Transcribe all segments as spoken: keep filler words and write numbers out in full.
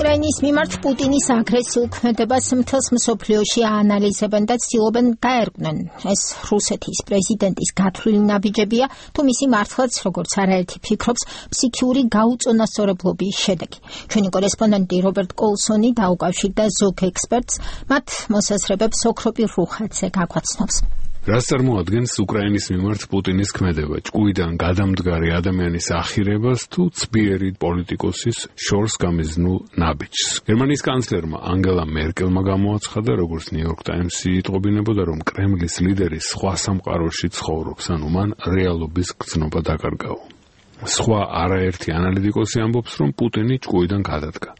უკრაინის მიმართ პუტინის აგრესიულ ქმედებას მთელს მსოფლიოში აანალიზებენ და ცდილობენ გაერკვნენ. ეს რუსეთის პრეზიდენტის გათვლილი ნაბიჯებია, თუ მისი მართლაც, როგორც არაერთი ფიქრობს, ფსიქიური გაუწონასწორებლობის შედეგი. ჩვენი კორესპონდენტი რობერტ კოლსონი დაუკავშირდა ზოგ ექსპერტს, მათ მოსაზრებებს ოქროპირ რუხაძე გაგვაცნობს. რას წარმოადგენს უკრაინის მიმართ პუტინის ქმედება, ჭკუიდან გადამდგარი ადამიანის ახირებას თუ ცბიერი პოლიტიკოსის შორს გამიზნულ ნაბიჯს? გერმანიის კანცლერმა ანგელა მერკელმა გამოაცხადა, როგორც ნიუ-იორკ ტაიმსი იტყობინებოდა, რომ კრემლის ლიდერი სხვა სამყაროში ცხოვრობს, ანუ მან რეალობის გრძნობა დაკარგაო. სხვა არაერთი ანალიტიკოსი ამბობს, რომ პუტინი ჭკუიდან გადადგა.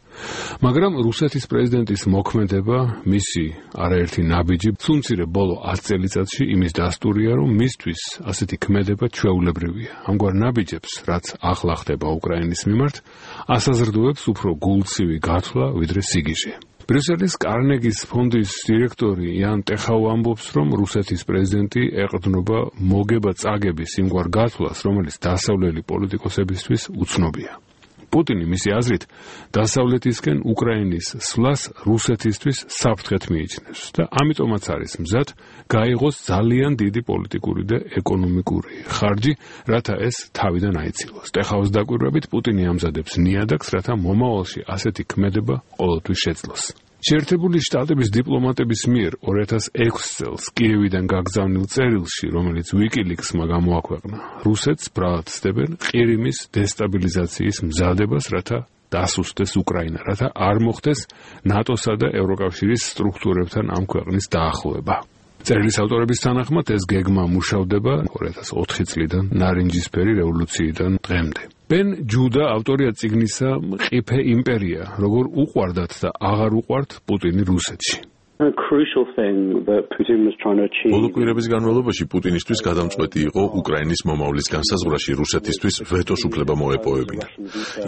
მაგრამ რუსეთის პრეზიდენტის მოქმედება, მისი არაერთი ნაბიჯი, სულმცირე ბოლო ათ წელიწადში იმის დასტურია, რომ მისთვის ასეთი ქმედება ჩვეულებრივია. ამგვარ ნაბიჯებს, რაც ახლა ხდება უკრაინის მიმართ, ასაზრდოებს უფრო გულცივი გათვლა, ვიდრე სიგიჟე. ბრიუსელის კარნეგის ფონდის დირექტორი იან ტეხაუ ამბობს, რომ რუსეთის პრეზიდენტი ეყრდნობა მოგება-წაგების იმგვარ გათვლას, რომელიც დასავლელი პოლიტიკოსებისთვის უცნობია. პუტინი მისი აზრით დასავლეთისკენ უკრაინის სვლას რუსეთისთვის საფრთხეთ მიიჩნევს და ამიტომაც არის მზად გაიღოს ძალიან დიდი პოლიტიკური და ეკონომიკური ხარჯი, რათა ეს თავიდან აიცილოს. ტეხაუს დაკვირვებით პუტინი ამზადებს ნიადაგს, რათა მომავალში ასეთი ქმედება ყოველთვის შეძლოს. შეერთებული შტატების დიპლომატების მიერ ორი ათას ექვსი წელს კიევიდან გაგზავნილ წერილში, რომელიც ვიკილიქსმა გამოაქვეყნა, რუსეთს ბრალად ცდებენ ყირიმის დესტაბილიზაციის მზადებას, რათა დასუსტდეს უკრაინა, რათა არ მოხდეს ნატოსა და ევროკავშირის სტრუქტურებთან ამ ქვეყნის დაახლოება. წერილის ავტორების თანახმად ეს გეგმა მუშავდება ორი ათას ოთხი წლიდან ნარინჯისფერი რევოლუციიდან დღემდე. ბენ ჯუდა ავტორია წიგნისა „მყიფე იმპერია, როგორ უყვარდათ და აღარ უყვართ პუტინი რუსეთში“. ბოლო კვირების განმავლობაში პუტინისთვის გადამწყვეტი იყო უკრაინის მომავლის განსაზღვრაში რუსეთისთვის ვეტოს უფლება მოეპოვებინა.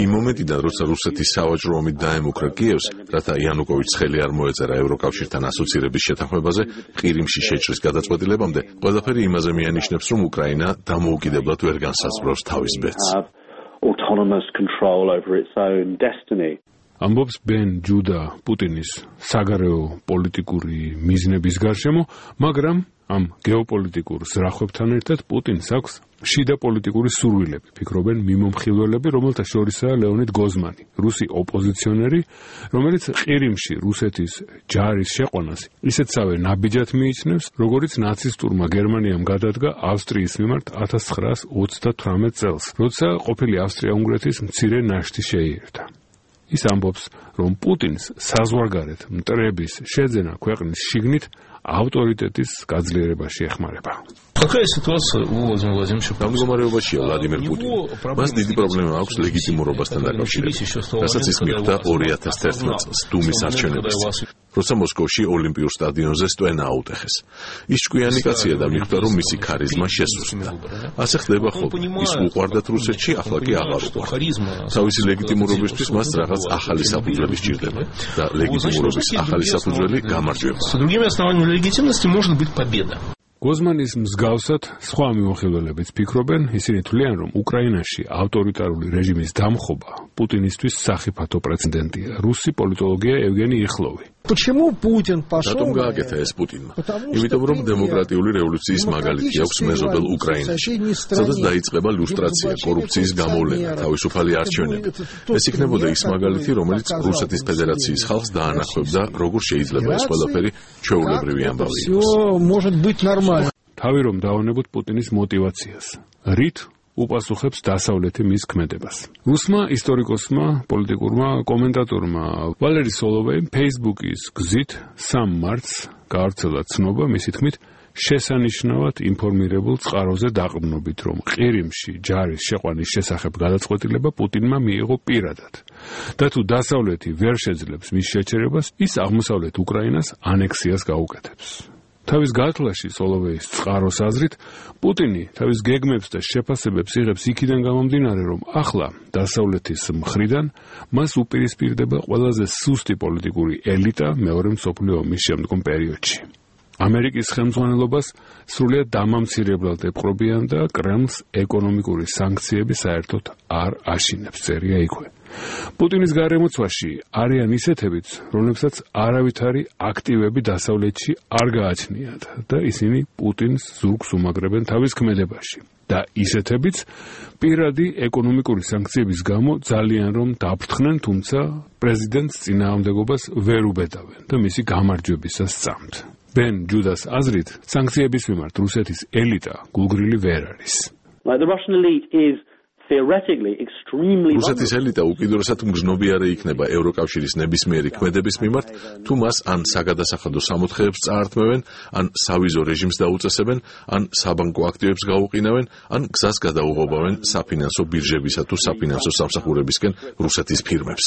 იმ მომენტიდან, როცა რუსეთი სავაჭრო ომით დაემუქრა კიევს, რათა იანუკოვიჩს ხელი არ მოეწერა ევროკავშირთან ასოცირების შეთანხმებაზე, ყირიმში შეჭრის გადაწყვეტილებამდე, ყველაფერი იმაზე მიანიშნებს, რომ უკრაინა დამოუკიდებლად ვერ განსაზღვრავს თავის ბედს. autonomous control over its own destiny. ამბობს ბენ ჯუდა პუტინის საგარეო პოლიტიკური მიზნების გარშემო, მაგრამ ამ გეოპოლიტიკურ ზრახვებთან ერთად პუტინს აქვს შიდა პოლიტიკური სურვილები, ფიქრობენ მიმომხილველები, რომელთა შორისაა ლეონიდ გოზმანი, რუსი ოპოზიციონერი, რომელიც ყირიმში რუსეთის ჯარის შეყვანას ისეთსავე ნაბიჯად მიიჩნევს, როგორც ნაცისტურმა გერმანიამ გადადგა ავსტრიის მიმართ ათას ცხრაას ოცდათვრამეტ წელს, როცა ყოფილი ავსტრია-უნგრეთის მცირე ნაშთი შეიერთა. ის ამბობს, რომ პუტინს საზღვარგარეთ მტრების შეძენა ქვეყნის შიგნით ავტორიტეტის გაძლიერებაში ეხმარება. მდგომარეობაშია ვლადიმერ პუტინი. მას დიდი პრობლემა აქვს ლეგიტიმურობასთან დაკავშირებით, რასაც ის მიხვდა ორი ათას თერთმეტ წელს დუმის არჩევნებაში, როცა მოსკოვში ოლიმპიურ სტადიონზე სტვენა აუტეხეს. ის ჭკვიანი კაცია და მიხვდა, რომ მისი ქარიზმა შესუსტდა. ასე ხდება ხოლმე. ის უყვარდათ რუსეთში, ახლა კი აღარ უყვართ. თავისი ლეგიტიმურობისთვის მას რაღაც ახალი საფუძველი სჭირდება და ლეგიტიმურობის ახალი საფუძველი გამარჯვება. გოზმანის მსგავსად სხვა მიმოხილველებიც ფიქრობენ, ისინი თვლიან, რომ უკრაინაში ავტორიტარული რეჟიმის დამხობა პუტინისთვის სახიფათო პრეცედენტია. რუსი პოლიტოლოგია ევგენი იხლოვი. რატომ გააკეთა ეს პუტინმა? იმიტომ, რომ დემოკრატიული რევოლუციის მაგალითი აქვს მეზობელ უკრაინაში, სადაც დაიწყება ლუსტრაცია, კორუფციის გამოვლენა, თავისუფალი არჩევნები. ეს იქნებოდა ის მაგალითი, რომელიც რუსეთის ფედერაციის ხალხს დაანახებდა, როგორ შეიძლება ეს ყველაფერი ჩვეულებრივი ამბავი იყოს. თავი რომ დავანებოთ პუტინის мотиваციას. რით უპასუხებს დასავლეთი მის ქმედებას. რუსმა ისტორიკოსმა, პოლიტიკურმა კომენტატორმა ვალერი სოლოვეიმ Facebook-ის გზით სამ მარტს გაავრცელა ცნობა, მისი თქმით, შესანიშნავად ინფორმირებულ წყაროზე დაყრდნობით, რომ ყირიმში ჯარის შეყვანის შესახებ გადაწყვეტილება პუტინმა მიიღო პირადად. და თუ დასავლეთი ვერ შეძლებს მის შეჩერებას, ის აღმოსავლეთ უკრაინას ანექსიას გაუკეთებს. თავის გათვლაში სოლოვეის წყაროს აზრით, პუტინი თავის გეგმებს და შეფასებებს იღებს იქიდან გამომდინარე, რომ ახლა დასავლეთის მხრიდან მას უპირისპირდება ყველაზე სუსტი პოლიტიკური ელიტა მეორე მსოფლიო ომის შემდგომ პერიოდში. ამერიკის ხელმძღვანელობას სრულიად დამამცირებლად ეპყრობიან და კრემლს ეკონომიკური სანქციები საერთოდ არ აშინებს, წერია იქვე. პუტინის გარემოცვაში არიან ისეთებიც, რომლებსაც არავითარი აქტივები დასავლეთში არ გააჩნიათ და ისინი პუტინს ზურგს უმაგრებენ თავის ქმედებაში. და ისეთებიც პირადი ეკონომიკური სანქციების გამო ძალიან რომ დაფრთხნენ, თუმცა პრეზიდენტს წინააღმდეგობას ვერ უბედავენ და მისი გამარჯვებისას სწამთ. ბენ ჯუდას აზრით, სანქციების მიმართ რუსეთის ელიტა გულგრილი ვერ არის. Like the Russian elite is theoretically extremely რუსეთის ელიტა უკიდურესად მგრძნობიარე იქნება ევროკავშირის ნებისმიერი ქმედების მიმართ, თუ მას ან საგადასახადო სამოთხეებს წაართმევენ, ან სავიზო რეჟიმს დაუწესებენ, ან საბანკო აქტივებს გაუყინავენ, ან გზას გადაუღობავენ საფინანსო ბირჟებისა თუ საფინანსო სამსახურებისკენ რუსეთის ფირმებს.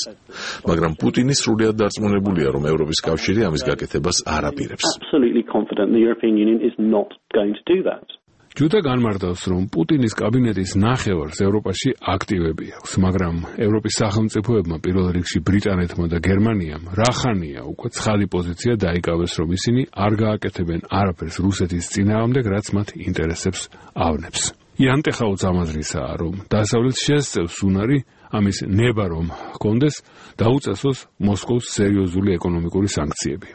მაგრამ პუტინი სრულიად დარწმუნებულია, რომ ევროპის კავშირი ამის გაკეთებას არ აპირებს. absolutely confident the European Union is not going to do that. ჯუდა განმარტავს, რომ პუტინის კაბინეტის ნახევარს ევროპაში აქტივები აქვს, მაგრამ ევროპის სახელმწიფოებმა, პირველ რიგში ბრიტანეთმა და გერმანიამ, რახანია უკვე ცხადი პოზიცია დაიკავეს, რომ ისინი არ გააკეთებენ არაფერს რუსეთის წინააღმდეგ, რაც მათ ინტერესებს ავნებს. იანტეხა უწამაზრისაა, რომ დასავლეთს შესწევს უნარი ამის ნება რომ ჰქონდეს, დაუწესოს მოსკოვის სერიოზული ეკონომიკური სანქციები.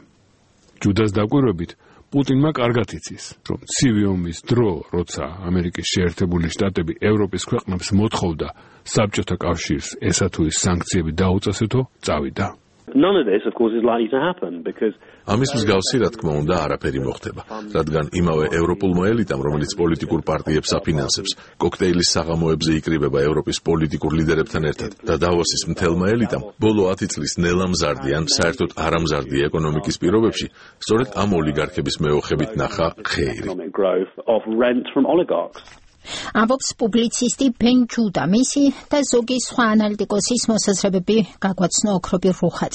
ჯუდას დაკვირვებით, პუტინმა კარგად იცის, რომ ცივი ომის დრო, როცა ამერიკის შეერთებული შტატები ევროპის ქვეყნებს მოთხოვდა საბჭოთა კავშირს ესა თუ ის სანქციები დაუწესეთო, წავიდა. None of this, of course, is likely to happen because ამის მსგავსი, რა თქმა უნდა, არაფერი მოხდება, რადგან იმავე ევროპულმა ელიტამ, რომელიც პოლიტიკურ პარტიებს აფინანსებს, კოქტეილის საღამოებზე იკრიბება ევროპის პოლიტიკურ ლიდერებთან ერთად და დავოსის მთელმა ელიტამ, ბოლო ათი წლის ნელა მზარდი ან საერთოდ არამზარდი ეკონომიკის პირობებში, სწორედ ამ ოლიგარქების მეოხებით ნახა ხეირი. economic growth of rent from oligarchs. ამბობს პუბლიცისტი ბენ ჯუდა, მისი და ზოგი სხვა ანალიტიკოსის მოსაზრებები გაგვაცნო ოქრობი რუხაძე.